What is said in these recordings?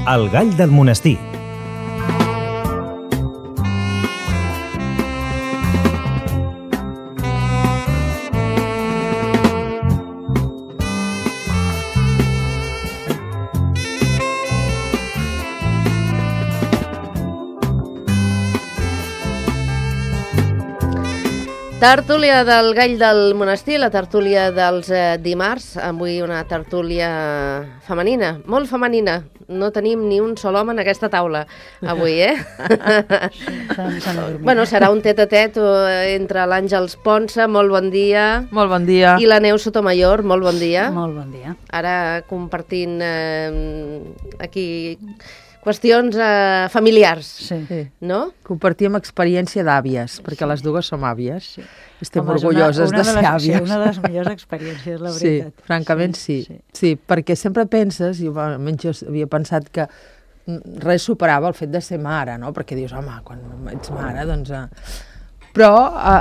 El gall del monestir. Tertúlia del gall del monestir, la tertúlia dels dimarts. Avui una tertúlia femenina, molt femenina. No tenim ni un sol home en aquesta taula avui, Bueno, serà un tet-a-tet entre l'Àngels Ponsa, molt bon dia. Molt bon dia. I la Neus Sotomayor, molt bon dia. Molt bon dia. Ara compartint aquí qüestions familiars, Sí. no? Compartim experiència d'àvies, perquè les dues som àvies. Sí. Estem Home, orgulloses de ser àvies. Sí, una de les millors experiències, la veritat. Sí, francament sí. Sí, perquè sempre penses, i almenys jo havia pensat que res superava el fet de ser mare, no? Perquè dius, home, quan ets mare, doncs... Però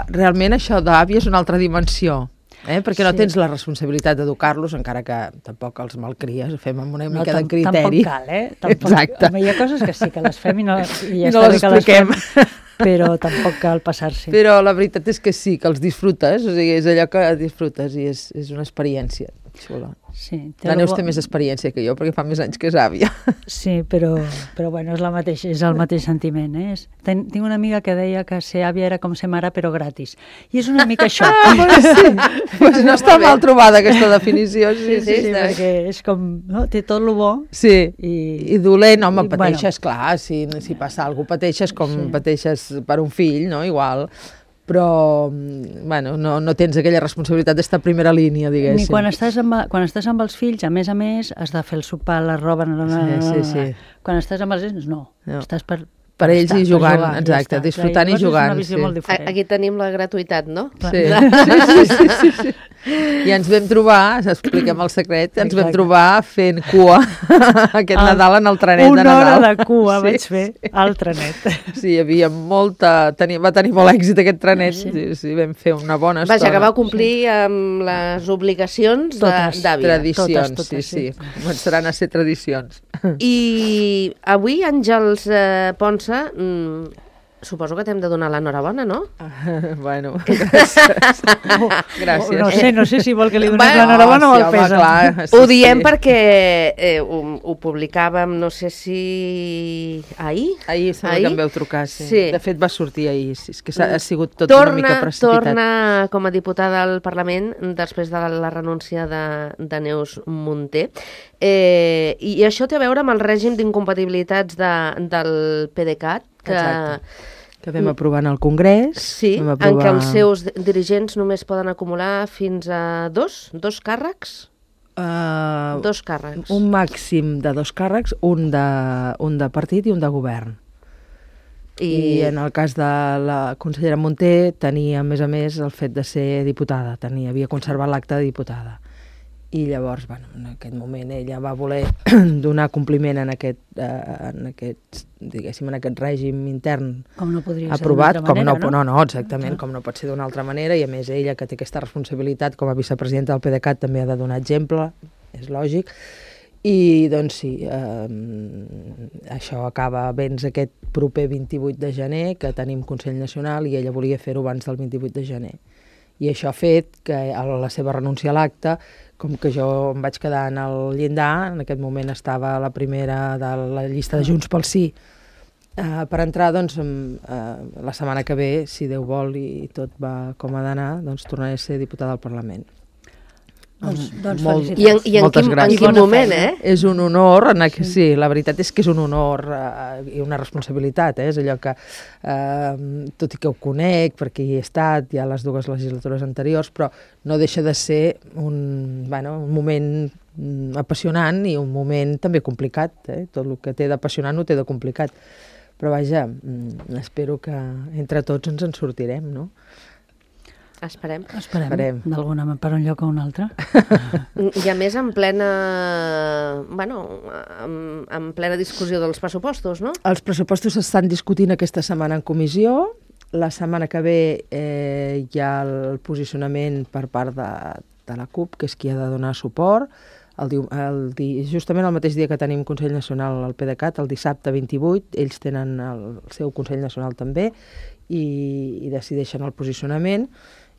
realment això d'àvia és una altra dimensió. Perquè no tens la responsabilitat d'educar-los, encara que tampoc els malcries, ho fem amb una mica de criteri. Tampoc cal, Exacte. Hi ha coses que sí que les fem i ja no les expliquem. Però tampoc cal passar-s'hi. Però la veritat és que sí, que els disfrutes, o sigui, és allò que disfrutes i és una experiència xula. Sí, la Neus té més experiència que jo, perquè fa més anys que és àvia. Sí, però bueno, és el mateix sentiment, Tinc una amiga que deia que ser àvia era com ser mare, però gratis. I és una mica això. Sí. Pues no està mal trobada aquesta definició. Sí, perquè és com, no? Té tot lo bo. Sí, i dolent, home, pateixes, clar, si passa alguna cosa, pateixes com pateixes per un fill, no? Igual. Però, bueno, no tens aquella responsabilitat d'estar a primera línia, diguéssim. Ni quan estàs amb els fills, a més, has de fer el sopar, la roba... Sí. Quan estàs amb els nens, no. Estàs per ells i jugant, exacte, disfrutant i jugant. Aquí tenim la gratuïtat, no? Sí. I ens vam trobar, expliquem el secret, ens vam trobar fent cua aquest Nadal en el trenet de Nadal. Una hora de cua vaig fer al trenet. Sí, hi havia va tenir molt èxit aquest trenet, sí, vam fer una bona estona. Vaja, que va complir amb les obligacions d'àvia. Tradicions, sí. Començaran a ser tradicions. I avui, Àngels Ponsa, suposo que t'hem de donar l'enhorabona, no? Bueno, gràcies. No sé si vol que li donem l'enhorabona o el pesa. Ho diem perquè ho publicàvem, no sé si ahir. Ahir sembla que em veu trucar, sí. De fet va sortir ahir, és que ha sigut tot una mica precipitat. Torna com a diputada al Parlament després de la renúncia de Neus Munté. I això té a veure amb el règim d'incompatibilitats del PDeCAT, que vam aprovar en el Congrés. Sí, en què els seus dirigents només poden acumular fins a dos càrrecs? Dos càrrecs. Un màxim de 2 càrrecs, un de partit i un de govern. I en el cas de la consellera Munté tenia, a més, el fet de ser diputada. Havia conservat l'acte de diputada. I llavors, en aquest moment ella va voler donar compliment en aquest règim intern aprovat, com no pot ser d'una altra manera, i a més ella, que té aquesta responsabilitat com a vicepresidenta del PDeCAT, també ha de donar exemple, és lògic, i doncs sí, això acaba abans aquest proper 28 de gener, que tenim Consell Nacional, i ella volia fer-ho abans del 28 de gener. I això ha fet que a la seva renúncia a l'acte, com que jo em vaig quedar en el llindar, en aquest moment estava a la primera de la llista de Junts pel Sí, per entrar, doncs, la setmana que ve, si Déu vol i tot va com ha d'anar, doncs tornaré a ser diputada al Parlament. Doncs felicitats. I en quin moment, És un honor, sí, la veritat és que és un honor i una responsabilitat, és allò que, tot i que ho conec, perquè hi he estat ja a les 2 legislatures anteriors, però no deixa de ser un moment apassionant i un moment també complicat, tot el que té d'apassionant ho té de complicat, però vaja, espero que entre tots ens en sortirem, no? Esperem. D'alguna manera, per un lloc o un altre. I a més en plena discussió dels pressupostos, no? Els pressupostos s'estan discutint aquesta setmana en comissió. La setmana que ve hi ha el posicionament per part de la CUP, que és qui ha de donar suport. justament el mateix dia que tenim Consell Nacional al PDeCAT, el dissabte 28, ells tenen el seu Consell Nacional també i decideixen el posicionament,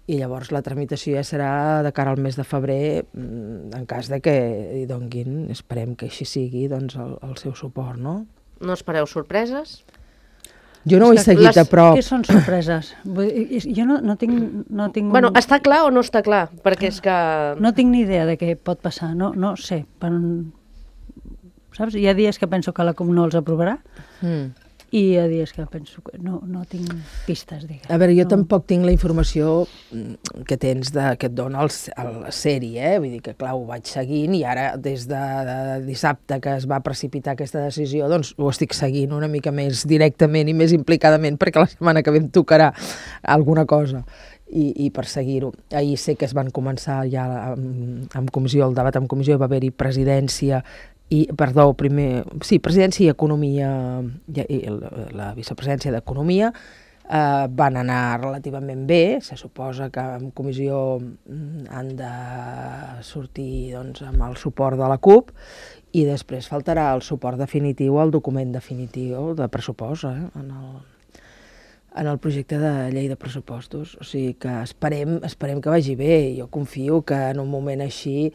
i llavors la tramitació ja serà de cara al mes de febrer, en cas de que hi donguin, esperem que així sigui, doncs el seu suport, no? No espereu sorpreses? Jo no ho he seguit a prop. Què són sorpreses? Jo no tinc... Bueno, està clar o no està clar? Perquè és que... No tinc ni idea de què pot passar, no sé. Saps? Hi ha dies que penso que la CUP no els aprovarà, i hi ha dies que penso que no tinc pistes, diguem. A veure, jo tampoc tinc la informació que tens que et dona la sèrie, vull dir que, clar, ho vaig seguint i ara, des de dissabte que es va precipitar aquesta decisió, doncs ho estic seguint una mica més directament i més implicadament, perquè la setmana que ve em tocarà alguna cosa i per seguir-ho. Ahir sé que es van començar ja en comissió, el debat en comissió, va haver-hi presidència presidència i economia, i la vicepresidència d'economia van anar relativament bé. Se suposa que en comissió han de sortir doncs, amb el suport de la CUP, i després faltarà el suport definitiu al document definitiu de pressupost en el projecte de llei de pressupostos. O sigui que esperem que vagi bé. Jo confio que en un moment així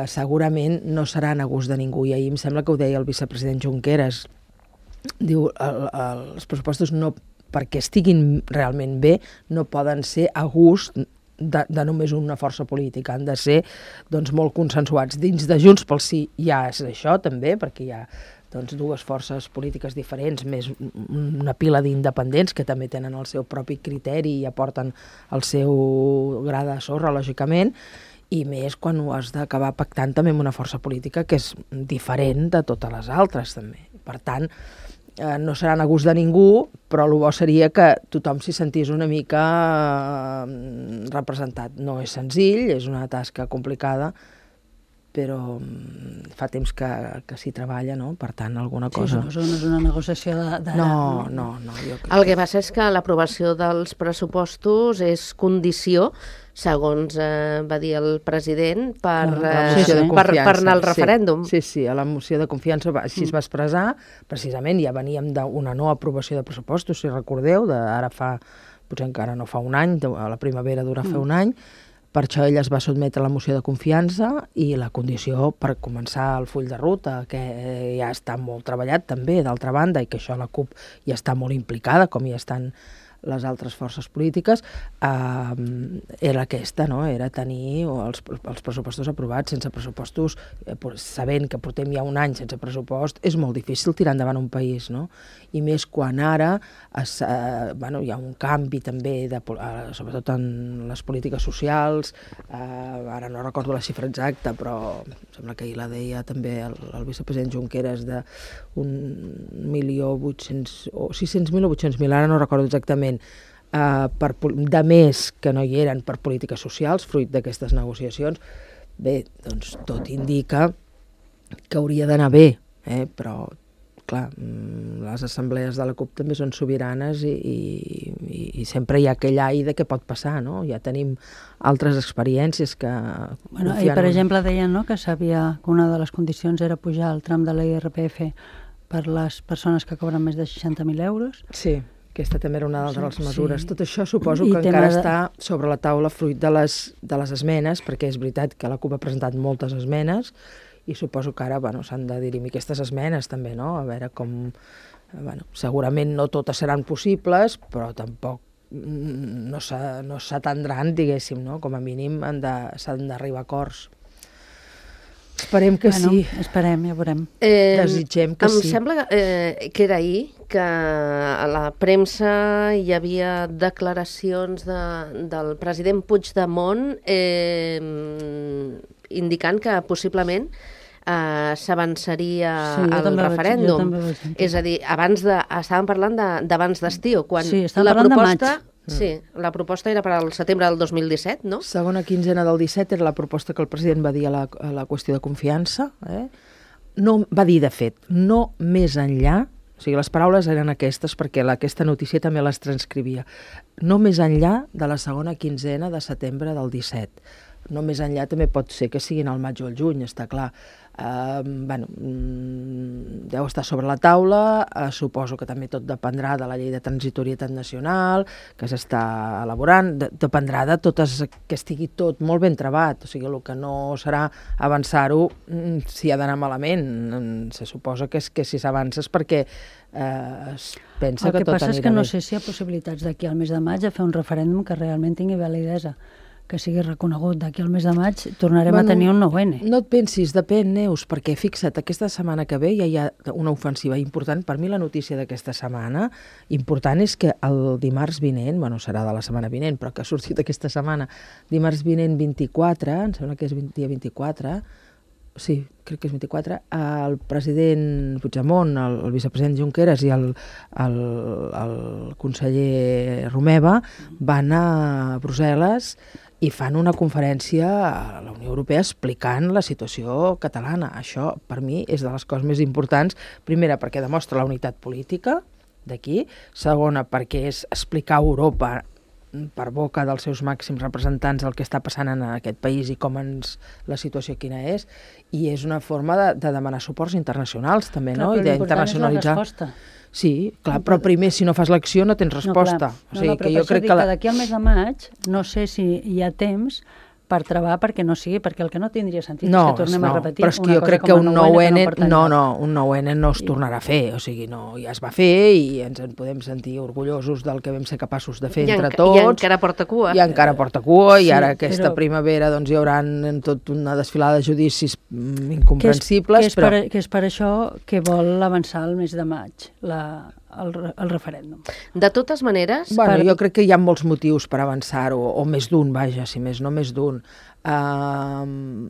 segurament no seran a gust de ningú, i ahir em sembla que ho deia el vicepresident Junqueras. Diu, els pressupostos no, perquè estiguin realment bé, no poden ser a gust de només una força política, han de ser doncs, molt consensuats. Dins de Junts pel Sí ja és això també, perquè hi ha doncs, dues forces polítiques diferents, més una pila d'independents que també tenen el seu propi criteri i aporten el seu gra de sorra, lògicament, i més quan ho has d'acabar pactant també amb una força política que és diferent de totes les altres, també. Per tant, no seran a gust de ningú, però el bo seria que tothom s'hi sentís una mica representat. No és senzill, és una tasca complicada, però fa temps que s'hi treballa, no? Per tant, alguna cosa... Sí, no és una negociació de... No. El que passa és que l'aprovació dels pressupostos és condició, segons va dir el president, per anar al referèndum. Sí, a la moció de confiança així es va expressar. Precisament ja veníem d'una no aprovació de pressupostos, si recordeu, ara fa, potser encara no fa un any, a la primavera dura fer un any. Per això ell es va sotmetre a la moció de confiança i la condició per començar el full de ruta, que ja està molt treballat també, d'altra banda, i que això la CUP ja està molt implicada, com ja estan les altres forces polítiques, era aquesta, no? Era tenir els pressupostos aprovats. Sense pressupostos, sabent que portem ja un any sense pressupost, és molt difícil tirar endavant un país, no? I més quan ara hi ha un canvi també, sobretot en les polítiques socials, ara no recordo la xifra exacta, però sembla que ahir la deia també el vicepresident Junqueras, de 1.800.000 o 600.000 o 800.000, ara no recordo exactament, de més que no hi eren per polítiques socials, fruit d'aquestes negociacions. Bé, doncs tot indica que hauria d'anar bé, però, clar, les assemblees de la CUP també són sobiranes i sempre hi ha aquell ai de què pot passar, no? Ja tenim altres experiències que... I per exemple deien, no?, que una de les condicions era pujar el tram de l'IRPF per les persones que cobren més de 60.000 euros. Sí, aquesta també era una de les mesures. Tot això suposo que encara està sobre la taula fruit de les esmenes, perquè és veritat que la CUP ha presentat moltes esmenes i suposo que ara s'han de dirimir aquestes esmenes també, no? A veure com... segurament no totes seran possibles, però tampoc no s'atendran, diguéssim, no? Com a mínim s'han d'arribar a acords. Esperem que sí. Esperem, ja veurem. Desitgem que sí. Em sembla que era ahir que a la premsa hi havia declaracions del president Puigdemont indicant que possiblement s'avançaria al referèndum. És a dir, estàvem parlant d'abans d'estiu, quan estàvem parlant de maig. Sí, la proposta era per al setembre del 2017, no? Segona quinzena del 17 era la proposta que el president va dir a la qüestió de confiança. No, va dir, de fet, no més enllà, o sigui, les paraules eren aquestes, perquè aquesta notícia també les transcrivia, no més enllà de la segona quinzena de setembre del 17. no més enllà també pot ser que siguin al maig o al juny, està clar. Deu estar sobre la taula, suposo que també tot dependrà de la llei de transitorietat nacional, que s'està elaborant, dependrà de totes, que estigui tot molt ben trebat, o sigui, el que no serà avançar-ho si ha d'anar malament, se suposa que si s'avança és perquè es pensa que tot anirà bé. El que passa és que no sé si hi ha possibilitats d'aquí al mes de maig a fer un referèndum que realment tingui validesa, que sigui reconegut. D'aquí al mes de maig tornarem a tenir un 9N. No et pensis, depèn, Neus, perquè fixa't, aquesta setmana que ve ja hi ha una ofensiva important. Per mi la notícia d'aquesta setmana important és que el dimarts vinent, bueno, serà de la setmana vinent, però que ha sortit aquesta setmana, dimarts vinent 24, em sembla que és dia 24, sí, crec que és 24, el president Puigdemont, el vicepresident Junqueras i el conseller Romeva van a Brussel·les i fan una conferència a la Unió Europea explicant la situació catalana. Això, per mi, és de les coses més importants. Primera, perquè demostra la unitat política d'aquí. Segona, perquè és explicar a Europa per boca dels seus màxims representants el que està passant en aquest país i com la situació quina és. I és una forma de demanar suports internacionals, també, no? Clar, però l'important és la resposta. Sí, clar, però primer, si no fas l'acció, no tens resposta. No, però per això dic que d'aquí al mes de maig no sé si hi ha temps per treballar perquè no sigui, perquè el que no tindria sentit és que tornem a repetir una cosa com el 9N. Però és que jo crec que un 9N no es tornarà a fer, o sigui, ja es va fer i ens en podem sentir orgullosos del que vam ser capaços de fer entre tots. I encara porta cua. I encara porta cua, i ara aquesta primavera doncs hi haurà tot una desfilada de judicis incomprensibles. Que és per això que vol avançar el mes de maig, el referèndum. De totes maneres... Bueno, jo crec que hi ha molts motius per avançar-ho, o més d'un, vaja, si més no més d'un. El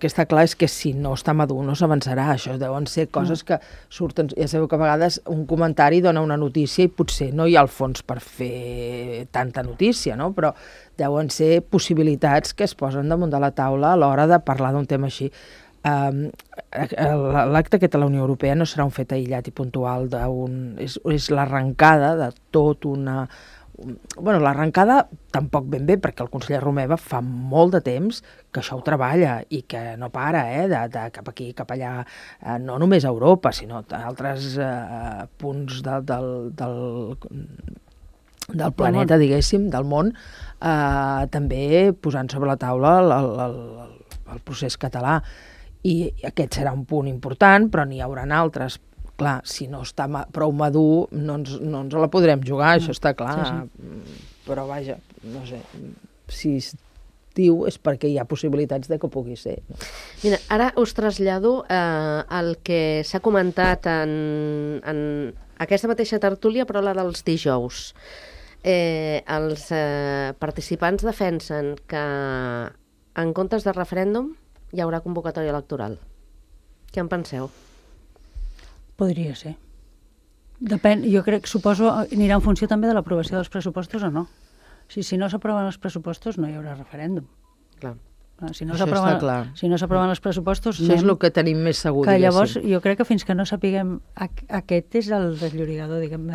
que està clar és que si no està madur no s'avançarà. Això deuen ser coses que surten... Ja sabeu que a vegades un comentari dona una notícia i potser no hi ha el fons per fer tanta notícia, no? Però deuen ser possibilitats que es posen damunt de la taula a l'hora de parlar d'un tema així. L'acte aquest a la Unió Europea no serà un fet aïllat i puntual, és l'arrencada de tot una... Bueno, l'arrencada tampoc ben bé, perquè el conseller Romeva fa molt de temps que això ho treballa i que no para, de cap aquí, cap allà, no només a Europa, sinó a altres punts del planeta, diguéssim, del món, també posant sobre la taula el procés català. I aquest serà un punt important, però n'hi haurà altres. Clar, si no està prou madur, no ens la podrem jugar, això està clar. Sí. Però vaja, no sé, si es diu és perquè hi ha possibilitats de que pugui ser. Mira, ara us trasllado el que s'ha comentat en aquesta mateixa tertúlia, però la dels dijous. Els participants defensen que en comptes de referèndum hi haurà convocatòria electoral. Què en penseu? Podria ser. Depèn, jo crec, suposo, anirà en funció també de l'aprovació dels pressupostos o no. Si no s'aproven els pressupostos no hi haurà referèndum. Clar. Si no s'aproven els pressupostos... Això és el que tenim més segur, que llavors, jo crec que fins que no sapiguem... Aquest és el desllorigador, diguem,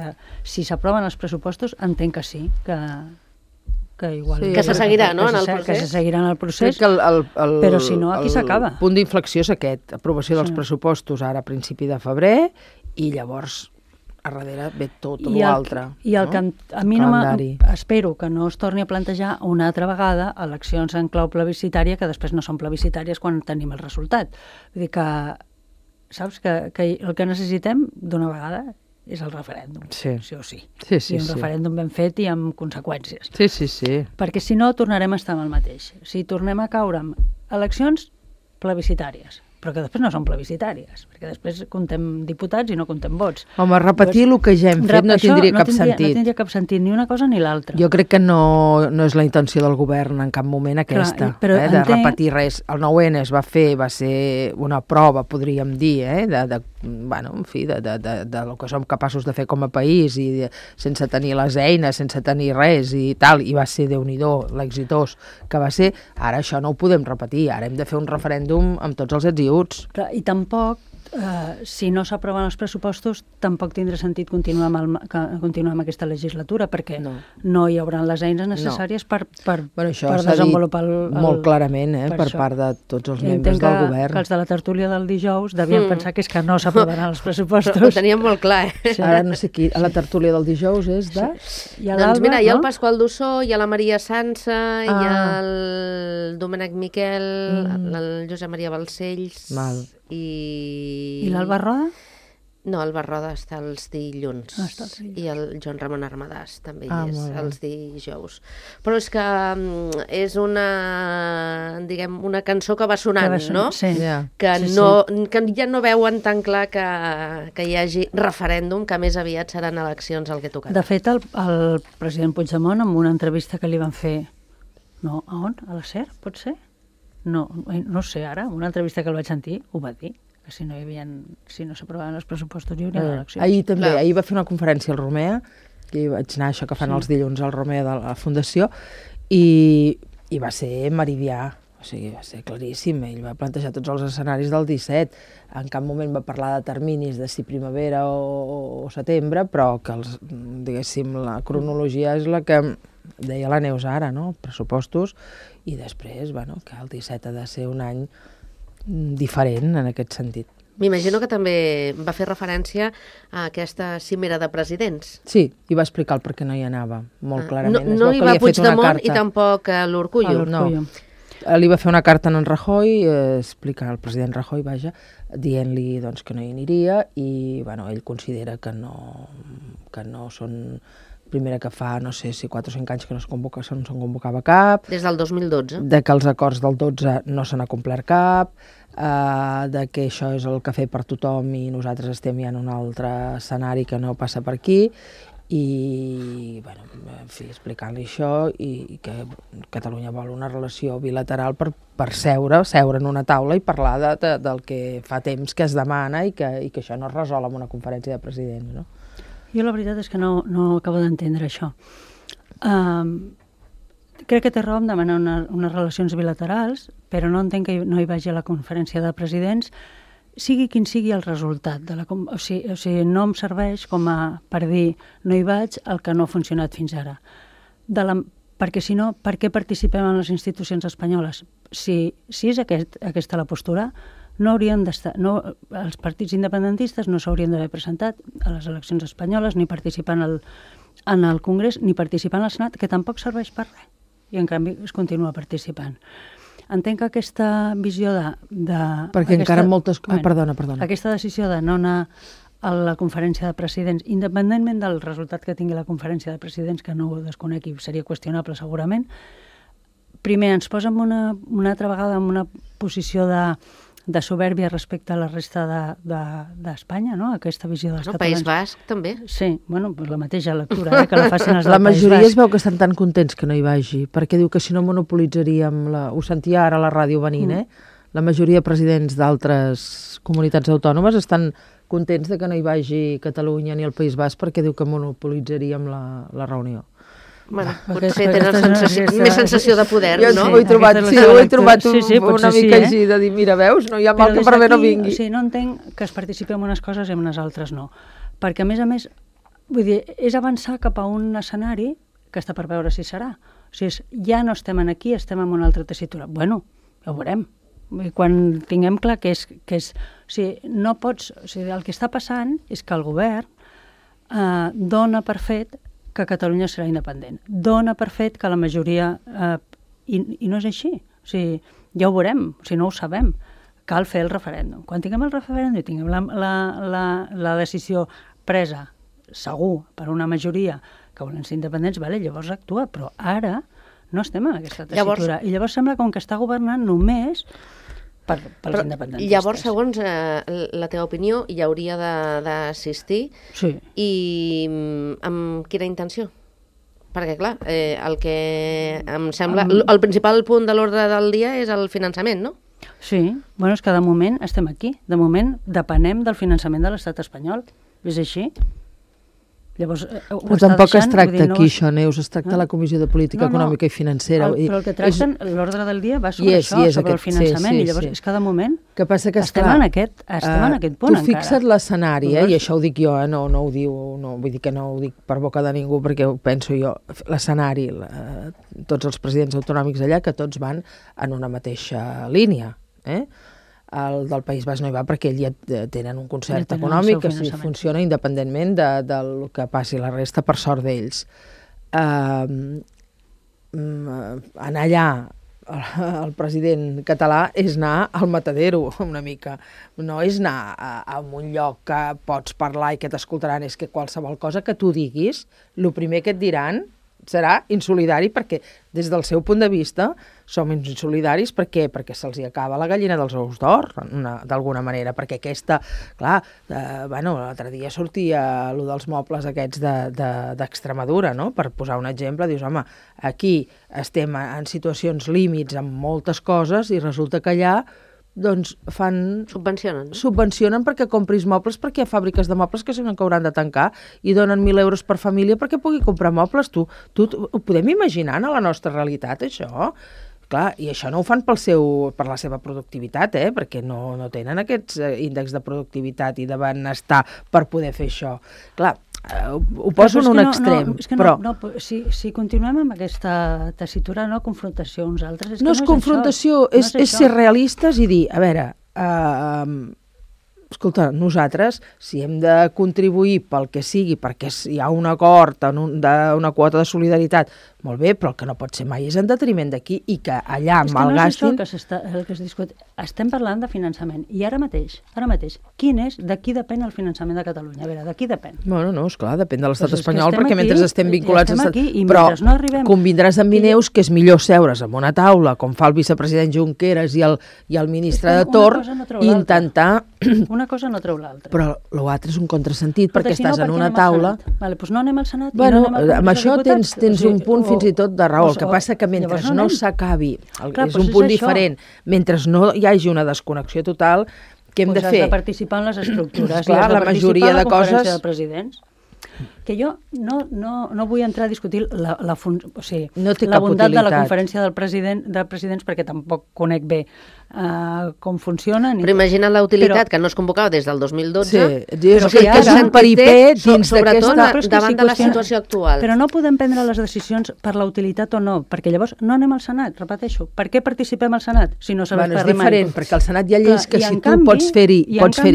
si s'aproven els pressupostos, entenc que sí, que igual... Sí, que se seguirà, no?, en el procés. Que se seguirà en el procés, però si no, aquí s'acaba. El punt d'inflexió és aquest, aprovació dels pressupostos ara a principi de febrer, i llavors a darrere ve tot l'altre. I el que a mi espero que no es torni a plantejar una altra vegada eleccions en clau plebiscitària que després no són plebiscitàries quan tenim el resultat. Vull dir que, saps, que el que necessitem d'una vegada és el referèndum, sí o sí. I un referèndum ben fet i amb conseqüències. Sí. Perquè si no tornarem a estar amb el mateix. Si tornem a caure amb eleccions plebiscitàries, però que després no són plebiscitàries, perquè després comptem diputats i no comptem vots. Home, repetir el que ja hem fet no tindria cap sentit. No tindria cap sentit, ni una cosa ni l'altra. Jo crec que no és la intenció del govern en cap moment aquesta, de repetir res. El 9N es va fer, va ser una prova, podríem dir, bueno, en fi, del que som capaços de fer com a país, i sense tenir les eines, sense tenir res i tal, i va ser, Déu-n'hi-do, l'exitós que va ser. Ara això no ho podem repetir, ara hem de fer un referèndum amb tots els ets i uts. I tampoc si no s'aproven els pressupostos, tampoc tindrà sentit continuar amb aquesta legislatura, perquè no hi haurà les eines necessàries per desenvolupar molt clarament, per part de tots els membres del govern. Que els de la tertúlia del dijous devien pensar que és que no s'aprovaran els pressupostos. Ho teníem molt clar, Ara no sé qui, a la tertúlia del dijous és de... Doncs mira, hi ha el Pasqual Dussó, hi ha la Maria Sansa, hi ha el Domènec Miquel, el Josep Maria Balcells... I l'Alba Roda? No, Alba Roda està els dilluns. I el Joan Ramon Armadàs també hi és, els dijous. Però és que és una cançó que va sonant, no? Que ja no veuen tan clar que hi hagi referèndum, que més aviat seran eleccions el que tocarà. De fet, el president Puigdemont, en una entrevista que li van fer... No, a on? A la SER, pot ser? No sé ara, una entrevista que el vaig sentir, ho va dir, que si no s'aprovaven els pressupostos hi hauria eleccions. Ahir va fer una conferència al Romea, que vaig anar això que fan els dilluns al Romea de la Fundació, i va ser meridià, o sigui, va ser claríssim. Ell va plantejar tots els escenaris del 17, en cap moment va parlar de terminis de si primavera o setembre, però que diguéssim, la cronologia és la que deia la Neus ara, no? Pressupostos, i després, que el 17 ha de ser un any diferent en aquest sentit. M'imagino que també va fer referència a aquesta cimera de presidents. Sí, i va explicar el per què no hi anava, molt clarament. No hi va Puigdemont i tampoc l'Urkullu. No, li va fer una carta a en Rajoy, el president Rajoy, dient-li que no hi aniria, i ell considera que no són... Primera que fa, no sé si 4 o 5 anys que no se'n convocava cap. Des del 2012. De que els acords del 12 no se n'ha complert cap, de que això és el cafè per tothom i nosaltres estem ja en un altre escenari que no passa per aquí, i, en fi, explicant-li això, i que Catalunya vol una relació bilateral per seure en una taula i parlar del que fa temps que es demana i que això no es resol amb una conferència de presidents, no? Jo la veritat és que no acabo d'entendre això. Crec que té raó en demanar unes relacions bilaterals, però no entenc que no hi vagi a la conferència de presidents, sigui quin sigui el resultat. O sigui, no em serveix per dir no hi vaig el que no ha funcionat fins ara. Perquè si no, per què participem en les institucions espanyoles? Si és aquesta la postura, no haurien d'estar, els partits independentistes no s'haurien d'haver presentat a les eleccions espanyoles, ni participar en el Congrés, ni participar en el Senat, que tampoc serveix per res, i en canvi es continua participant. Entenc que aquesta visió Perquè encara moltes... Perdona. Aquesta decisió de no anar a la conferència de presidents, independentment del resultat que tingui la conferència de presidents, que no ho desconec i seria qüestionable segurament, primer ens posa una altra vegada en una posició de soberbia respecte a la resta d'Espanya, no? Aquesta visió dels catalans. País Basc, també. Sí, la mateixa lectura, que la facin els del País Basc. La majoria es veu que estan tan contents que no hi vagi, perquè diu que si no monopolitzaríem... Ho sentia ara a la ràdio venint, La majoria de presidents d'altres comunitats autònomes estan contents de que no hi vagi Catalunya ni el País Basc, perquè diu que monopolitzaríem la reunió. Bueno, potser tenen més sensació de poder, no? Jo ho he trobat una mica així, de dir, mira, veus, no hi ha mal que per bé no vingui. Sí, no entenc que es participi en unes coses i en unes altres no. Perquè, a més, vull dir, és avançar cap a un escenari que està per veure si serà. O sigui, ja no estem aquí, estem en una altra tessitura. Bueno, ja ho veurem. Quan tinguem clar que és... O sigui, no pots... O sigui, el que està passant és que el govern dona per fet que Catalunya serà independent. Dona per fet que la majoria... I no és així. O sigui, ja ho veurem, o sigui, no ho sabem. Cal fer el referèndum. Quan tinguem el referèndum i tinguem la decisió presa, segur, per una majoria que volen ser independents, llavors actua. Però ara no estem en aquesta tessitura. I llavors sembla com que està governant només pels independentistes. Llavors, segons la teva opinió, hi hauria d'assistir. Sí. I amb quina intenció? Perquè, clar, el que em sembla... El principal punt de l'ordre del dia és el finançament, no? Sí. Bueno, és que de moment estem aquí. De moment depenem del finançament de l'estat espanyol. És així. Llavors, però tampoc es tracta aquí això, Neus, es tracta la Comissió de Política Econòmica i Financera. Però el que tracten, l'ordre del dia va sobre això, sobre el finançament, i llavors és cada moment estem en aquest punt encara. Tu fixa't l'escenari, i això ho dic jo, no ho diu, vull dir que no ho dic per boca de ningú, perquè ho penso jo, l'escenari, tots els presidents autonòmics allà, que tots van en una mateixa línia, el del País Basc no hi va perquè ells ja tenen un concert econòmic que funciona independentment del que passi la resta, per sort d'ells. Anar allà, el president català, és anar al matadero una mica, no és anar a un lloc que pots parlar i que t'escoltaran, és que qualsevol cosa que tu diguis, el primer que et diran serà insolidari, perquè des del seu punt de vista som insolidaris. Per què? Perquè se'ls acaba la gallina dels ous d'or, d'alguna manera, perquè aquesta, clar, l'altre dia sortia allò dels mobles aquests d'Extremadura, no? Per posar un exemple, dius, home, aquí estem en situacions límits amb moltes coses i resulta que allà doncs fan... Subvencionen perquè compris mobles, perquè hi ha fàbriques de mobles que hauran de tancar i donen 1.000 euros per família perquè pugui comprar mobles. Tu ho podem imaginar a la nostra realitat, això? Clar, i això no ho fan per la seva productivitat, perquè no tenen aquests índexs de productivitat i de benestar per poder fer això. Clar, ho poso en un extrem, però... Si continuem amb aquesta tessitura, confrontació uns altres... No és confrontació, és ser realistes i dir, a veure, escolta, nosaltres, si hem de contribuir pel que sigui, perquè hi ha un acord d'una quota de solidaritat, molt bé, però el que no pot ser mai és en detriment d'aquí i que allà malgastin... És que no és això el que es discut. Estem parlant de finançament. I ara mateix, de qui depèn el finançament de Catalunya? A veure, de qui depèn? Bueno, no, esclar, depèn de l'estat espanyol, perquè mentre estem vinculats... Però convindràs amb mi, Neus, que és millor seure's en una taula, com fa el vicepresident Junqueras i el ministre de Torn, i intentar... Una cosa no treu l'altra. Però l'altre és un contrasentit, perquè estàs en una taula... Vale, doncs no anem al Senat. Bueno, amb això tens un punt fins i tot de raó. El que passa que mentre no s'acabi, és un punt diferent, mentre no hi hagi una desconnexió total, què hem de fer? Has de participar en les estructures. Clar, la majoria de coses... de presidents. Que jo no vull entrar a discutir la bondat de la conferència de presidents perquè tampoc conec bé com funciona. Però imagina la utilitat, que no es convocava des del 2012. Sí, és un peripé dins sobretot davant de la situació actual. Però no podem prendre les decisions per la utilitat o no, perquè llavors no anem al Senat, repeteixo. Per què participem al Senat si no serveix per res? És diferent, perquè al Senat hi ha lleis que si tu pots fer-hi...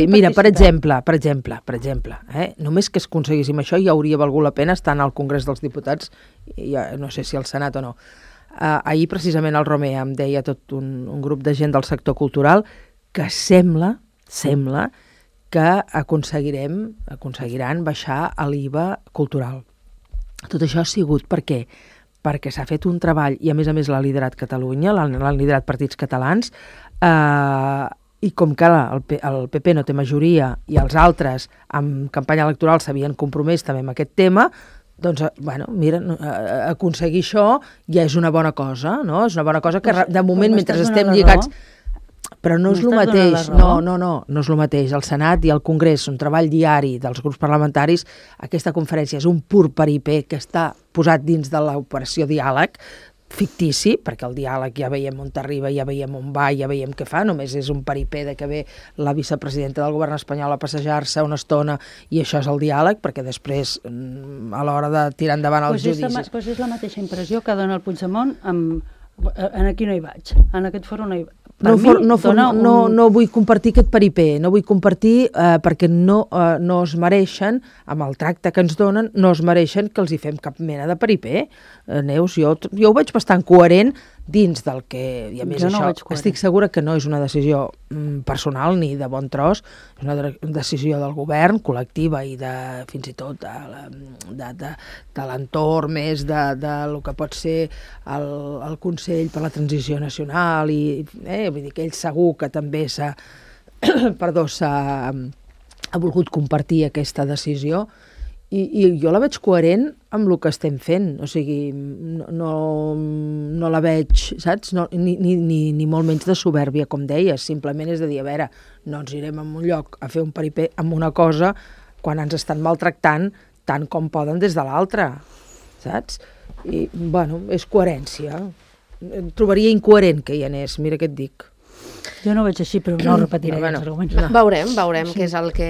Mira, per exemple, només que aconseguíssim això ja hauria valgut la pena estar al Congrés dels Diputats, no sé si al Senat o no. Ahir precisament el Romer em deia tot un grup de gent del sector cultural que sembla que aconseguiran baixar l'IVA cultural. Tot això ha sigut per què? Perquè s'ha fet un treball, i a més l'ha liderat Catalunya, l'han liderat partits catalans, i com que el PP no té majoria i els altres en campanya electoral s'havien compromès també amb aquest tema, doncs, mira, aconseguir això ja és una bona cosa, no? És una bona cosa que de moment, mentre estem lligats... Però no és el mateix, no és el mateix. El Senat i el Congrés, un treball diari dels grups parlamentaris, aquesta conferència és un pur peripé que està posat dins de l'operació diàleg, fictici, perquè el diàleg ja veiem on arriba, ja veiem on va, ja veiem què fa, només és un peripé de que ve la vicepresidenta del govern espanyol a passejar-se una estona i això és el diàleg, perquè després, a l'hora de tirar endavant els judicis... Doncs és la mateixa impressió que dona el Puigdemont aquí no hi vaig, en aquest fòrum no hi vaig. No vull compartir aquest peripé, no vull compartir perquè no es mereixen, amb el tracte que ens donen, no es mereixen que els hi fem cap mena de peripé. Neus, jo ho veig bastant coherent dins del que, i a més això, estic segura que no és una decisió personal ni de bon tros, és una decisió del govern, col·lectiva i fins i tot de l'entorn més del que pot ser el Consell per la Transició Nacional i vull dir que ell segur que també ha volgut compartir aquesta decisió i jo la veig coherent amb el que estem fent, o sigui, no la veig, saps? Ni molt menys de soberbia, com deies, simplement és de dir, a veure, no ens irem a un lloc a fer un peripé amb una cosa quan ens estan maltractant tant com poden des de l'altra, saps? I, bueno, és coherència. Trobaria incoherent que hi anés, mira què et dic. Jo no ho veig així, però no repetiré els arguments. Veurem què és el que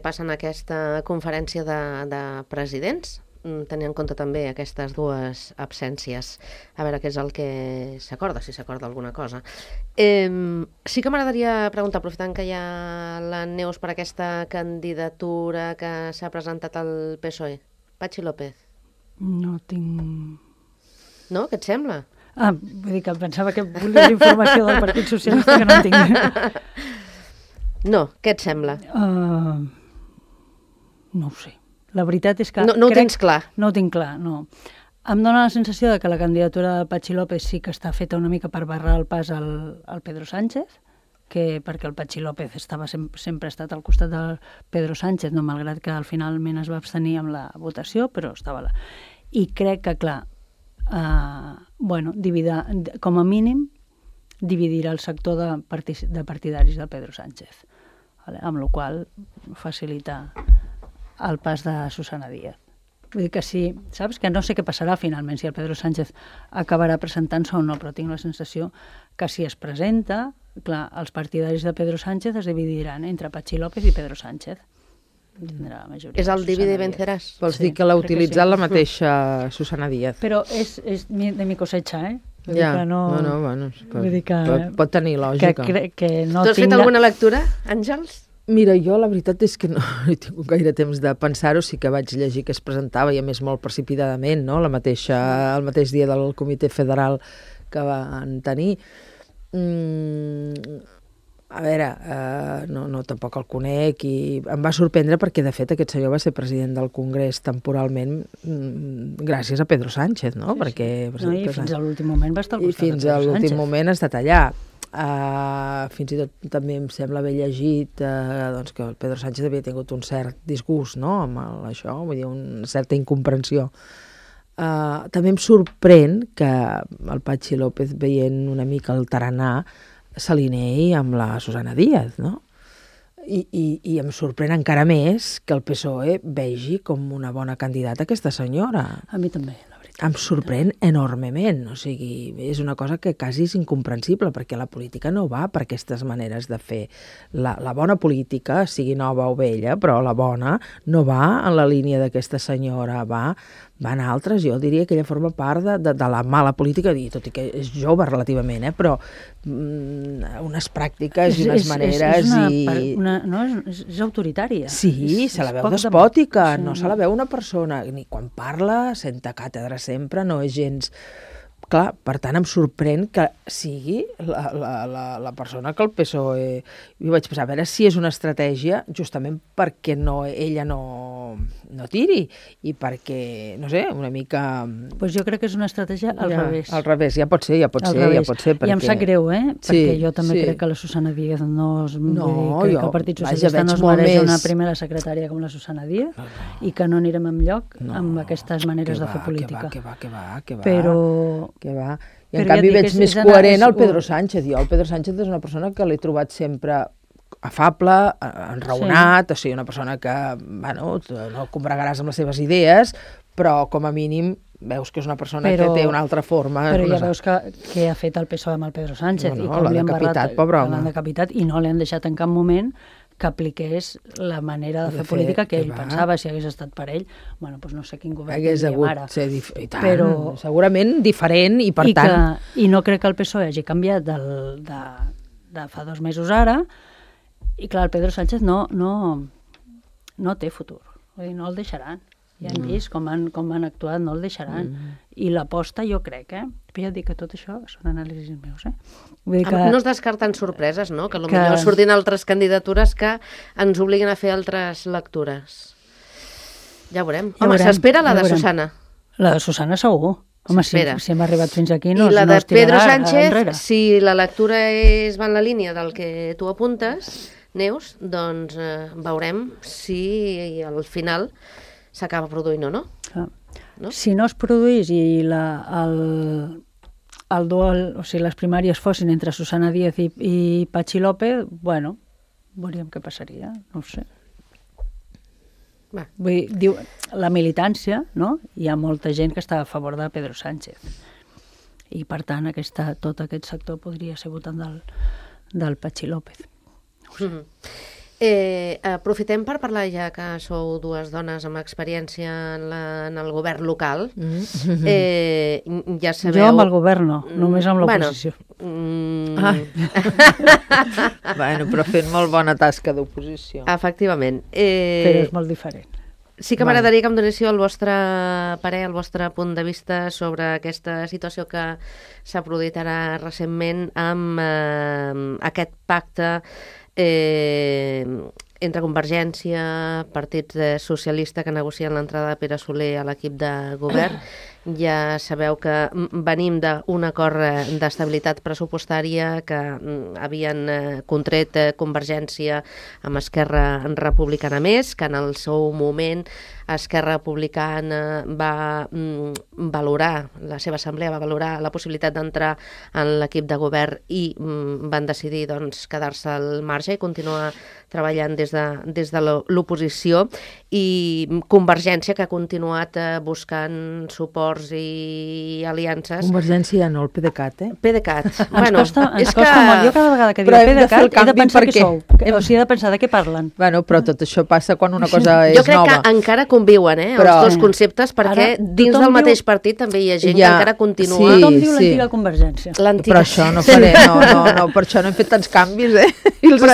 passa en aquesta conferència de presidents, tenint en compte també aquestes dues absències, a veure què és el que s'acorda, si s'acorda alguna cosa. Sí que m'agradaria preguntar, aprofitant que hi ha la Neus, per aquesta candidatura que s'ha presentat al PSOE. Patxi López. No tinc... No? Què et sembla? Vull dir que pensava que volies informació del Partit Socialista que no en tinc. No, què et sembla? No ho sé. La veritat és que... No ho tens clar? No ho tinc clar, no. Em dóna la sensació de que la candidatura de Patxi López sí que està feta una mica per barrar el pas al Pedro Sánchez, perquè el Patxi López sempre ha estat al costat del Pedro Sánchez, no, malgrat que al finalment es va abstenir amb la votació, però estava allà. I crec que, clar, com a mínim, dividirà el sector de partidaris del Pedro Sánchez, amb la qual cosa facilita el pas de Susana Díaz. Vull dir que sí, saps? Que no sé què passarà finalment, si el Pedro Sánchez acabarà presentant-se o no, però tinc la sensació que si es presenta, clar, els partidaris de Pedro Sánchez es dividiran entre Patxi López i Pedro Sánchez. Tindrà la majoria. És el divide i venceràs? Vols dir que l'ha utilitzat la mateixa Susana Díaz? Però és de mi cosecha, eh? Ja, bueno, pot tenir lògica. Que no tu has fet alguna lectura, Àngels? Mira, jo la veritat és que no he tingut gaire temps de pensar-ho, sí que vaig llegir que es presentava, i a més molt precipitadament, no? El mateix dia del Comitè Federal que van tenir. A veure, no tampoc el conec, i em va sorprendre perquè, de fet, aquest senyor va ser president del Congrés temporalment gràcies a Pedro Sánchez, no? Sí. I fins a l'últim moment va estar al costat de Pedro Sánchez. I fins a l'últim moment ha estat allà. Fins i tot també em sembla haver llegit doncs que el Pedro Sánchez havia tingut un cert disgust, no?, amb això, vull dir, una certa incomprensió. També em sorprèn que el Patxi López, veient una mica el taranà, s'alineï amb la Susana Díaz, no? I em sorprèn encara més que el PSOE vegi com una bona candidata aquesta senyora. A mi també, la veritat. Em sorprèn enormement, o sigui, és una cosa que quasi és incomprensible, perquè la política no va per aquestes maneres de fer. La bona política, sigui nova o vella, però la bona no va en la línia d'aquesta senyora, va en altres. Jo diria que ella forma part de la mala política, tot i que és jove relativament, però unes pràctiques i unes maneres... És autoritària. Sí, se la veu despòtica, no se la veu una persona, ni quan parla, senta càtedra sempre, no és gens... Clar, per tant, em sorprèn que sigui la persona que el PSOE... Jo vaig pensar, a veure si és una estratègia justament perquè ella no tiri i perquè, no sé, una mica... Doncs jo crec que és una estratègia al revés. Al revés, ja pot ser. Perquè... I em sap greu, perquè jo també crec que la Susana Díaz que el Partit Socialista no es mereix una primera secretària com la Susana Díaz i que no anirem enlloc amb aquestes maneres de fer política. Que va. Però... Que va. I en canvi veig més coherent el Pedro Sánchez. Jo el Pedro Sánchez és una persona que l'he trobat sempre afable, enraonat, o sigui, una persona que, bueno, no combregaràs amb les seves idees, però com a mínim veus que és una persona que té una altra forma. Però ja veus que ha fet el PSOE amb el Pedro Sánchez. No, l'ha decapitat, pobre home. L'han decapitat i no li han deixat en cap moment que apliqués la manera de fer política que ell pensava. Si hagués estat per ell, bueno, doncs no sé quin govern tindríem ara. Hagués hagut ser però segurament diferent i per tant... I no crec que el PSOE hagi canviat de fa 2 mesos ara, i clar, el Pedro Sánchez no té futur. Vull dir, no el deixaran. Ja hem vist com han actuat, no el deixaran. I l'aposta jo crec, però ja dic que tot això són anàlisis meus, Vull dir que... No es descarten sorpreses, no? Que potser surtin altres candidatures que ens obliguen a fer altres lectures. Ja veurem. Home, s'espera la de Susana. La de Susana segur. Home, si hem arribat fins aquí no es tirarà enrere. I la de Pedro Sánchez, si la lectura va en la línia del que tu apuntes, Neus, doncs veurem si al final s'acaba produint o no. No? Si no es produís i el duel, o sigui, les primàries fossin entre Susana Díaz i Patxi López, bueno, veuríem què passaria, no ho sé. Vull dir, la militància, no? Hi ha molta gent que està a favor de Pedro Sánchez. I, per tant, tot aquest sector podria ser votant del Patxi López. Aprofitem per parlar, ja que sou dues dones amb experiència en el govern local. Ja sabeu... Jo amb el govern no, només amb l'oposició. Bueno, però fent molt bona tasca d'oposició. Efectivament. Però és molt diferent. Sí que m'agradaria que em donéssiu el vostre parer, el vostre punt de vista sobre aquesta situació que s'ha produït ara recentment amb aquest pacte entre Convergència, Partit Socialista, que negocien l'entrada de Pere Soler a l'equip de govern. Ja sabeu que venim d'un acord d'estabilitat pressupostària que havien contret Convergència amb Esquerra Republicana Més, que en el seu moment Esquerra Republicana va valorar, la seva assemblea va valorar la possibilitat d'entrar en l'equip de govern i van decidir quedar-se al marge i continuar treballant des de l'oposició, i Convergència, que ha continuat buscant suports i aliances. Convergència no, el PDeCAT, PDeCAT. Ens costa molt. Jo cada vegada que dic PDeCAT he de pensar què sou. O sigui, he de pensar de què parlen. Bueno, però tot això passa quan una cosa és nova. Jo crec que encara conviuen, els dos conceptes, perquè dins del mateix partit també hi ha gent que encara continua... Tothom diu l'antiga Convergència. Però això no faré, no, per això no hem fet tants canvis, Però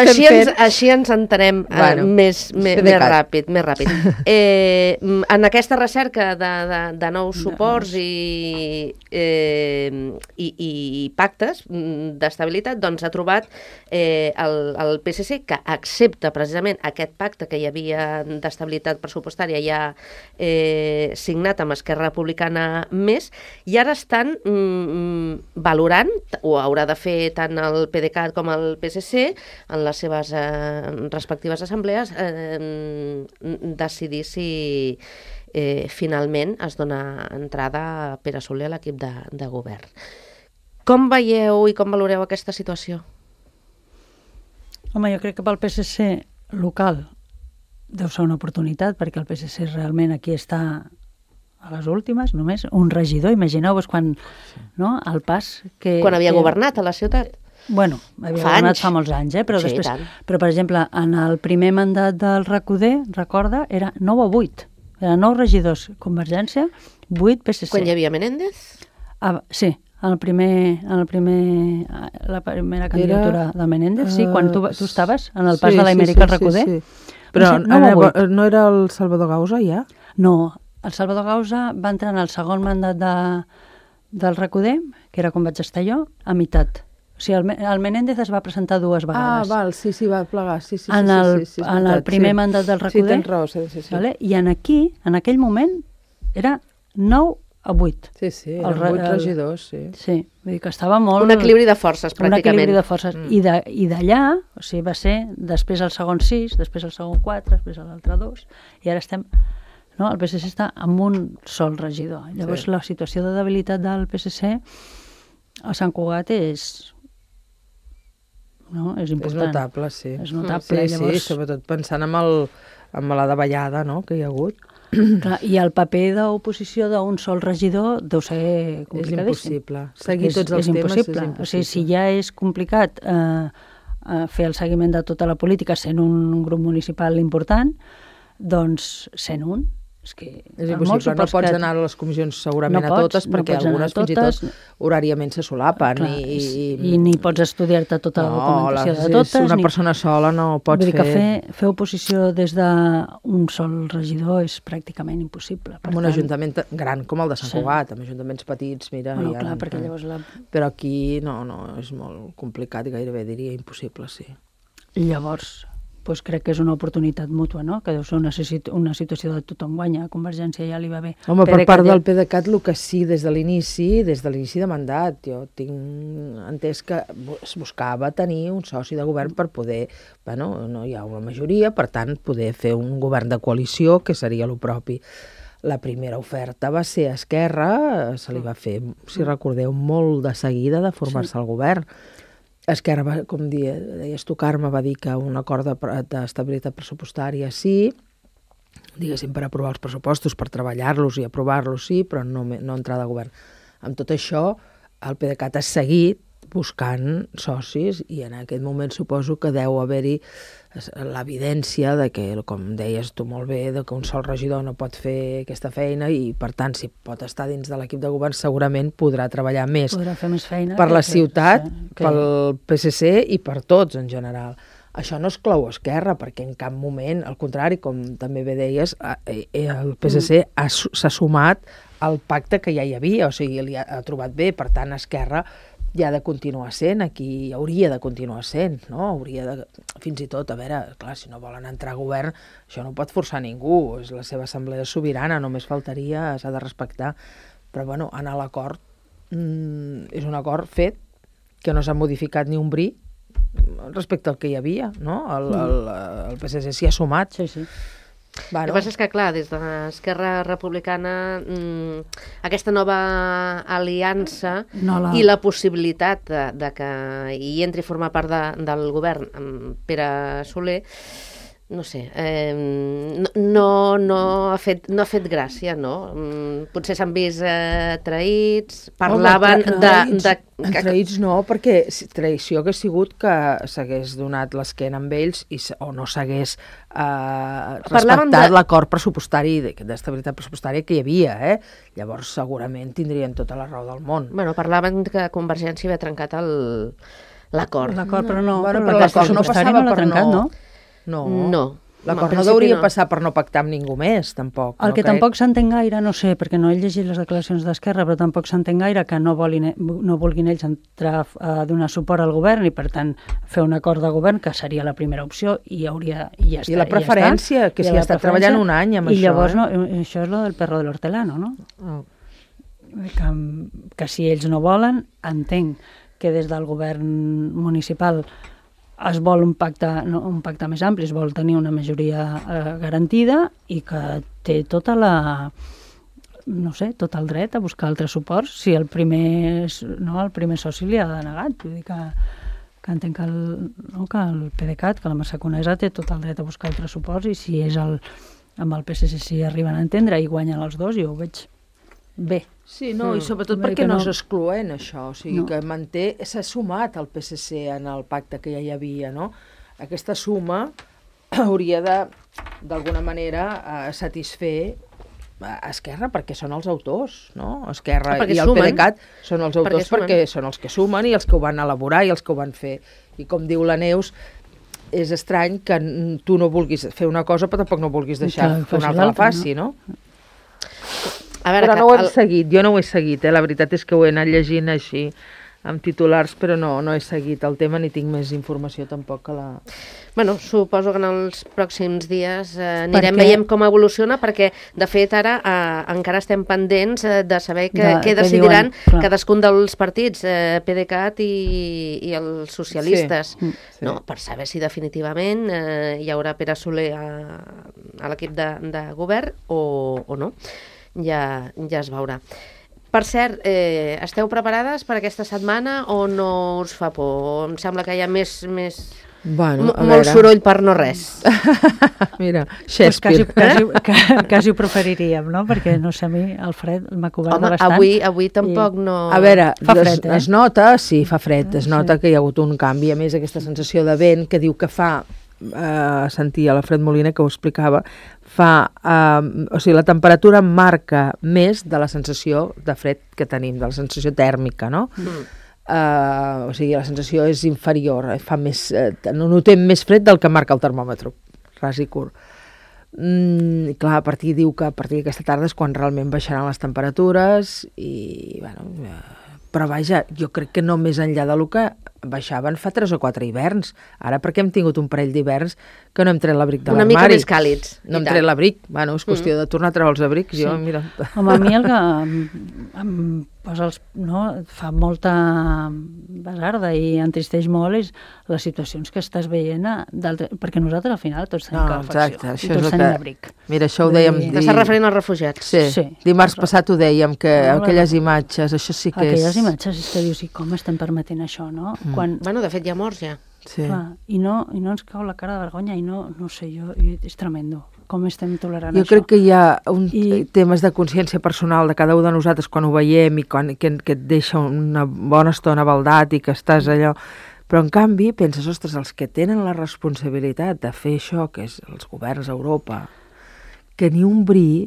així ens entenem més ràpid. En aquesta recerca de nous suports i pactes d'estabilitat, ha trobat el PSC, que accepta precisament aquest pacte que hi havia d'estabilitat pressupostària ja signat amb Esquerra Republicana Més, i ara estan valorant, o haurà de fer tant el PDeCAT com el PSC, en les seves respectives assemblees, decidir si finalment es dona entrada a Pere Soler a l'equip de govern. Com veieu i com valoreu aquesta situació? Home, jo crec que pel PSC local deu ser una oportunitat, perquè el PSC realment aquí està a les últimes, només un regidor. Imagineu-vos quan, el pas que... Quan havia governat a la ciutat. Bueno, havia governat fa molts anys, però després... Però, per exemple, en el primer mandat del RAC1D, recorda, era 9 a 8. Eren 9 regidors Convergència, 8 PSC. Quan hi havia Menéndez? Sí, la primera candidatura de Menéndez, sí, quan tu estaves en el pas de l'Amèrica al RAC1D. Però no era el Salvador Gausa, ja? No, el Salvador Gausa va entrar en el segon mandat del RAC1D, que era quan vaig estar jo, a meitat. O sigui, el Menéndez es va presentar 2 vegades. Val, sí, va plegar, sí. En el primer mandat del RAC1D. Sí, tens raó, sí. Vale? I en aquell moment, era 9 a 8. Sí, eren 8 regidors, sí. Sí, vull dir que estava molt... Un equilibri de forces, pràcticament. Un equilibri de forces. I d'allà, o sigui, va ser després el segon 6, després el segon 4, després l'altre 2, i ara estem... No? El PSC està amb un sol regidor. Llavors, la situació de debilitat del PSC a Sant Cugat és important. És notable, sí. És notable, llavors... Sí, sobretot pensant amb la davallada, que hi ha hagut. Clar, i el paper d'oposició d'un sol regidor deu ser complicadíssim. És impossible. Seguir tots els temes és impossible. O sigui, si ja és complicat fer el seguiment de tota la política sent un grup municipal important, doncs sent un. És impossible, no pots anar a les comissions segurament a totes, perquè algunes fins i tot horàriament se solapen. I ni pots estudiar-te tota la documentació de totes. Una persona sola no pots fer... Vull dir que fer oposició des d'un sol regidor és pràcticament impossible. En un ajuntament gran com el de Sant Cugat, amb ajuntaments petits, mira... Clar, perquè llavors... Però aquí no, és molt complicat i gairebé diria impossible, sí. Llavors... doncs crec que és una oportunitat mútua, que deu ser una situació de tothom guanya. A Convergència ja li va bé. Home, per part del PDeCAT, el que sí, des de l'inici de mandat, jo tinc entès que es buscava tenir un soci de govern per poder... no hi ha una majoria, per tant, poder fer un govern de coalició, que seria el propi. La primera oferta va ser a Esquerra, se li va fer, si recordeu, molt de seguida de formar-se al govern. Esquerra, com deies tu, Carme, va dir que un acord d'estabilitat pressupostària sí, diguéssim, per aprovar els pressupostos, per treballar-los i aprovar-los, sí, però no entrar de govern. Amb tot això, el PDeCAT ha seguit buscant socis i en aquest moment suposo que deu haver-hi l'evidència de que, com deies tu molt bé, de que un sol regidor no pot fer aquesta feina i, per tant, si pot estar dins de l'equip de govern, segurament podrà treballar més. Podrà fer més feina per la ciutat, pel PSC i per tots en general. Això no exclou Esquerra, perquè en cap moment, al contrari, com també bé deies, el PSC s'ha sumat al pacte que ja hi havia, o sigui, li ha trobat bé, per tant, Esquerra ja ha de continuar sent, aquí hauria de continuar sent, no? Hauria de, fins i tot, a veure, clar, si no volen entrar a govern, això no pot forçar ningú, és la seva assemblea sobirana, només faltaria, s'ha de respectar, però bueno, anar a l'acord és un acord fet, que no s'ha modificat ni un bri respecte al que hi havia, no? El PSC s'hi ha sumat. Sí, sí. Bueno. El que passa és que, clar, des de l'Esquerra Republicana aquesta nova aliança i la possibilitat de que hi entri a formar part del govern amb Pere Soler, no sé, no ha fet gràcia, no? Potser s'han vist traïts, parlaven de... Traïts no, perquè traïció hagués sigut que s'hagués donat l'esquena amb ells o no s'hagués respectat l'acord pressupostari, d'estabilitat pressupostària que hi havia, Llavors segurament tindrien tota la raó del món. Bueno, parlaven que Convergència havia trencat l'acord. L'acord, però no. Però l'acord no passava per no... No. L'acord no hauria passar per no pactar amb ningú més, tampoc. El que tampoc s'entén gaire, no sé, perquè no he llegit les declaracions d'Esquerra, però tampoc s'entén gaire que no vulguin ells entrar a donar suport al govern i, per tant, fer un acord de govern, que seria la primera opció, i ja està. I la preferència, que s'hi ha estat treballant un any amb això. I llavors, això és lo del perro de l'hortelano, no? Que si ells no volen, entenc que des del govern municipal es vol un pacte més ampli, es vol tenir una majoria garantida i que té tot el dret a buscar altres suports si el primer soci li ha denegat. Vull dir que entenc que el PDeCAT, que la Massacunesa té tot el dret a buscar altres suports i si és amb el PSC si arriben a entendre i guanyen els dos, jo ho veig bé. Sí, no, i sobretot perquè no és excloent això, o sigui que s'ha sumat el PSC en el pacte que ja hi havia, no? Aquesta suma hauria d'alguna manera satisfer Esquerra perquè són els autors, no? Esquerra i el PDeCAT són els autors perquè són els que sumen i els que ho van elaborar i els que ho van fer. I com diu la Neus, és estrany que tu no vulguis fer una cosa però tampoc no vulguis deixar que una altra la faci, no? Però no ho hem seguit, jo no ho he seguit, la veritat és que ho he anat llegint així amb titulars, però no he seguit el tema ni tinc més informació tampoc que la... Bueno, suposo que en els pròxims dies anirem veient com evoluciona, perquè de fet ara encara estem pendents de saber què decidiran cadascun dels partits, PDeCAT i els socialistes, no? Per saber si definitivament hi haurà Pere Soler a l'equip de govern o no. Ja es veurà. Per cert, esteu preparades per aquesta setmana o no us fa por? Em sembla que hi ha molt soroll per no res. Mira, Shakespeare. Quasi ho preferiríem, no? Perquè, no sé, a mi el fred m'ha cobert bastant. Avui tampoc no... A veure, es nota, sí, fa fred, es nota que hi ha hagut un canvi, a més aquesta sensació de vent que diu que fa... sentia l'Alfred Molina que ho explicava, o sigui, la temperatura marca més de la sensació de fred que tenim, de la sensació tèrmica, no? O sigui, la sensació és inferior, notem més fred del que marca el termòmetre, ras i curt. Clar, a partir d'aquesta tarda és quan realment baixaran les temperatures i, bueno... Però vaja, jo crec que no més enllà del que baixaven fa 3 o 4 hiverns. Ara perquè hem tingut un parell d'hiverns que no hem tret l'abric de l'armari. Una mica més càlids. No hem tret l'abric. Bueno, és qüestió de tornar a treure els abrics. Sí. Mira... Home, a mi el que em posa fa molta basarda i entristeix molt és les situacions que estàs veient perquè nosaltres al final tots tenim calefacció i tots tenim abric. Mira, això ho dèiem... T'estàs referint als refugiats? Sí. Dimarts passat ho dèiem, que aquelles imatges, això sí que és... Aquelles imatges, és que dius, i com estem permetent això, no? Bueno, de fet, hi ha morts ja. Sí. I no ens cau la cara de vergonya i no sé, és tremendo. com estem tolerant això. Jo crec que hi ha temes de consciència personal de cada un de nosaltres quan ho veiem i que et deixa una bona estona baldat i que estàs allò... Però, en canvi, penses, ostres, els que tenen la responsabilitat de fer això, que és els governs d'Europa, que ni un bri,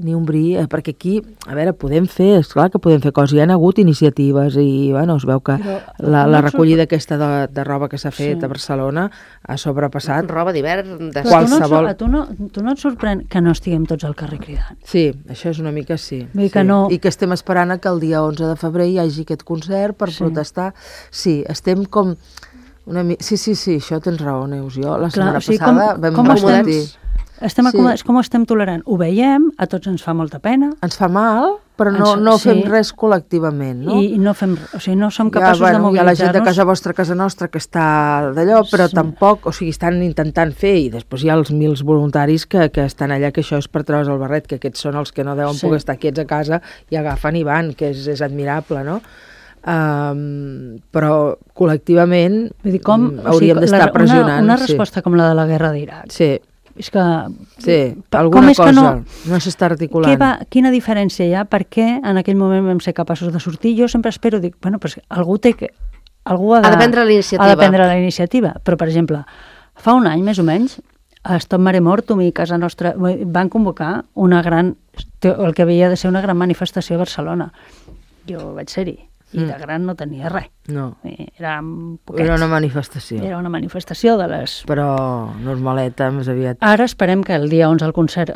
perquè aquí, a veure, podem fer, esclar que podem fer coses, hi ha hagut iniciatives i, bueno, es veu que la recollida aquesta de roba que s'ha fet a Barcelona ha sobrepassat... Roba d'hivern, de qualsevol... Tu no et sorprèn que no estiguem tots al carrer cridant? Sí, això és una mica sí. Vull dir que no... I que estem esperant que el dia 11 de febrer hi hagi aquest concert per protestar. Sí, estem com... Sí, això tens raó, Neus. Jo la setmana passada vam sentir... Com estem tolerant? Ho veiem, a tots ens fa molta pena. Ens fa mal, però no fem res col·lectivament, no? I no fem res, o sigui, no som capaços de mobilitzar-nos. Hi ha la gent de casa nostra que està d'allò, però tampoc, o sigui, estan intentant fer, i després hi ha els 1.000 voluntaris que estan allà, que això és per treure's el barret, que aquests són els que no deuen poder estar quiets a casa i agafen i van, que és admirable, no? Però col·lectivament hauríem d'estar pressionant. Una resposta com la de la guerra d'Iraq. Sí. És que... Sí, alguna cosa no s'està articulant. Quina diferència hi ha? Per què en aquell moment vam ser capaços de sortir? Jo sempre espero, dic, bueno, però algú ha de prendre la iniciativa. Ha de prendre la iniciativa. Però, per exemple, fa un any, més o menys, a Stop Mare Mortum i Casa Nostra van convocar el que havia de ser una gran manifestació a Barcelona. Jo vaig ser-hi. I de gran no tenia res. No. Era una manifestació. Era una manifestació de les... Però normaleta, més aviat. Ara esperem que el dia 11 el concert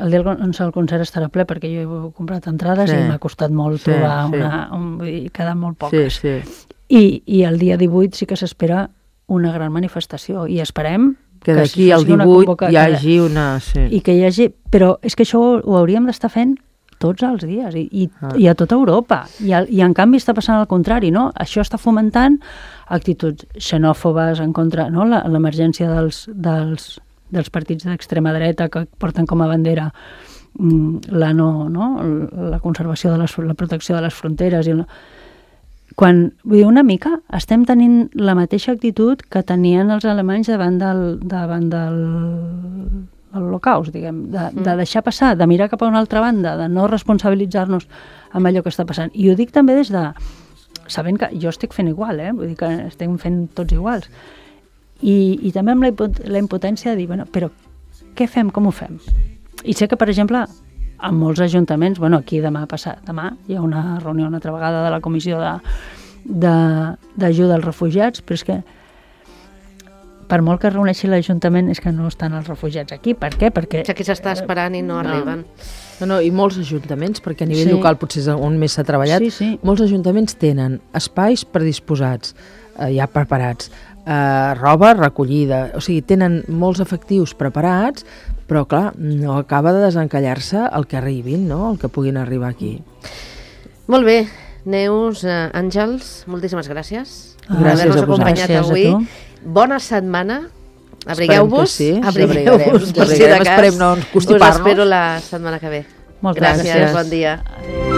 estarà ple, perquè jo he comprat entrades i m'ha costat molt trobar queden molt poques. I el dia 18 sí que s'espera una gran manifestació i esperem que d'aquí al 18 hi hagi una... I que hi hagi... Però és que això ho hauríem d'estar fent tots els dies i a tota Europa i en canvi està passant al contrari, no? Això està fomentant actituds xenòfobes en contra, no? L'emergència dels partits d'extrema dreta que porten com a bandera la conservació de la protecció de les fronteres vull dir, una mica estem tenint la mateixa actitud que tenien els alemanys davant del l'Holocaust, diguem, de deixar passar, de mirar cap a una altra banda, de no responsabilitzar-nos amb allò que està passant. I ho dic també des de... sabent que jo estic fent igual, vull dir que estem fent tots iguals. I també amb la impotència de dir, bueno, però què fem, com ho fem? I sé que, per exemple, en molts ajuntaments, aquí demà hi ha una reunió una altra vegada de la Comissió d'Ajuda als Refugiats, però és que per molt que es reuneixi l'Ajuntament és que no estan els refugiats aquí. Per què? Perquè... Aquí s'està esperant i no arriben. No, i molts ajuntaments, perquè a nivell local potser és on més s'ha treballat, molts ajuntaments tenen espais predisposats, ja preparats, roba recollida, o sigui, tenen molts efectius preparats, però clar, no acaba de desencallar-se el que arribin, no? El que puguin arribar aquí. Molt bé, Neus, Àngels, moltíssimes gràcies. Gràcies a vosaltres. Avui. Bona setmana. Abrigueu-vos. Abrigueu-vos. Esperem no constipar-nos. Us espero la setmana que ve. Moltes gràcies. Bon dia. Adéu.